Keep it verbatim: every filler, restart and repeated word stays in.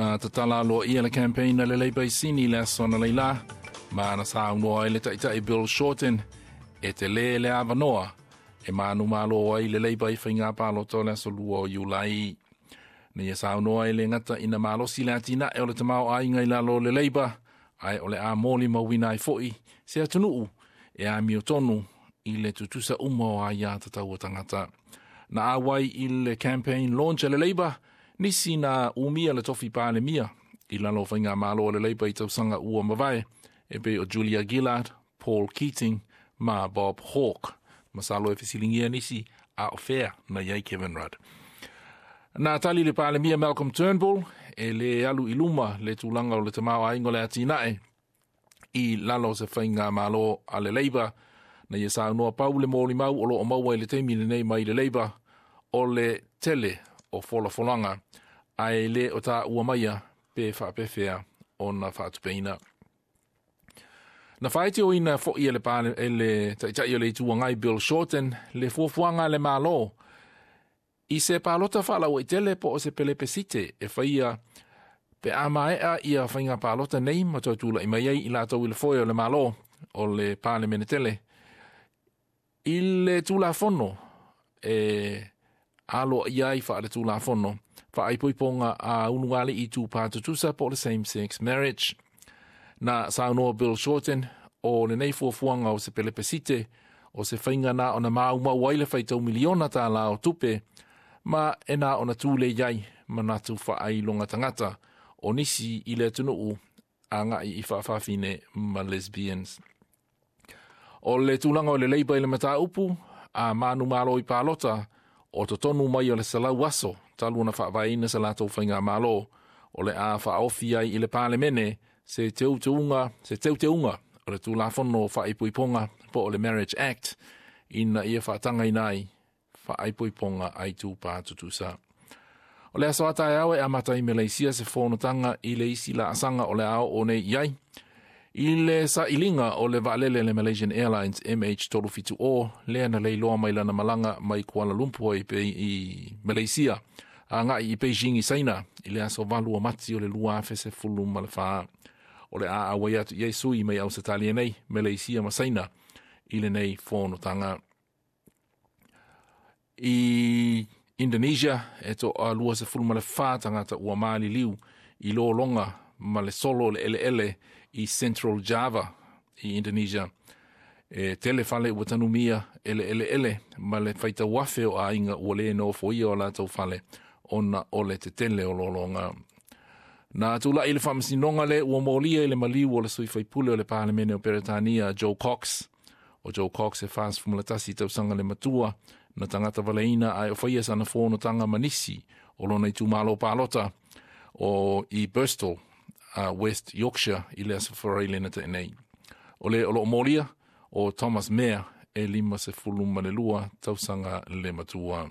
Na tatala aloaia le campaign a le Labour i Sini le aso analeila, ma na saunoa ai le taitai Bill Shorten e tele le avanoa e manumalo ai le Labour i faiga palota o le aso lua o Iulai. Na ia saunoa e le gata ina malosi le atinae o le tamaoaiga i lalo o le Labour, ae o le a molimauina ai foi se atunuu e amiotonu i le tutusa uma o aia tatau a tagata. Na auai i le campaign launch a le Labour, nisi na umia le tofi palemia i lalo o faigamalo a le Labour i tausaga ua mavae, e pei o Julia Gillard, Paul Keating ma Bob Hawke. Masalo e fesiligia nisi a o fea na i ai Kevin Rudd. Na tali le palemia Malcolm Turnbull e le alu i luma le tulaga o le tamaoaiga o le atinae i lalo o se faigamalo a le Labour. Na ia saunoa pau le molimau o loo maua i le taimi lenei mai le Labour o le tele o folafolaga ae le o taua maia pe faapefea ona faatupeina. Na faitioina foi e le, pale, e le taitai o le Itu Agai Bill Shorten le fuafuaga a le Malo i se palota faalauaitele po o se pelepesite e faia pe a maea ia faiga palota nei ma toe tula'i mai ai i latou i le foe o le Malo o le Palemene tele i le Tulafono e aloaia ai faale-tulafono faaipoipoga a ulugalii tupā tutusa po o le same sex marriage. Na saunoa Bill Shorten o lenei fuafuaga o se pelepesite o se faiga na ona maumau ai le faitau miliona tālā o tupe ma e na ona tulei ai manatu faailoga tagata o nisi i le atunuu agai i faafafine ma lesbians. O le tulaga o le Labour i le mataupu a manumalo i palota o totonu mai o le selau aso talu ona faavaeina se latou faigamalo, o le a faaofi ai i le Palemene se teuteuga se teuteuga o le Tulafono Faaipoipoga po o le Marriage Act ina ia faatagaina ai faaipoipoga a itupa tutusa. O le aso a taeao e amata i Malaysia se fonotaga i le isi laasaga o le a oo nei i ai i le sailiga o le vaalele le Malaysian Airlines M H three seven zero lea na leiloa mai lana malaga mai Kuala Lumpur i, i Malaysia agai i Beijing i Saina i le aso valu o Mati o le lua afe sefulu ma le fa. O le a auai atu i ai sui mai Ausetalia nei, Malaysia ma Saina i lenei fonotaga. I Indonesia e toa lua sefulu ma le fa tagata ua maliliu i lologa ma le solo le eleele i Central Java i Indonesia. E tele fale ua tanumia ele ele ele ma le faitau afe o aiga ua le nofoia o latou fale ona o le tetele o lologa. Na tula'i le faamasinoga le ua molia i le maliu o le sui faipule o le Palemene o Peretania Joe Cox. O Joe Cox e fasefulu ma le tasi tausaga le matua na tagata valeina ae o faia sana fonotaga ma nisi o lona itumalo palota o i Bristol, uh, West Yorkshire i le aso Faraile na te'e. O le o loo molia o Thomas Mayer e lima sefulu ma le lua tausaga le matua.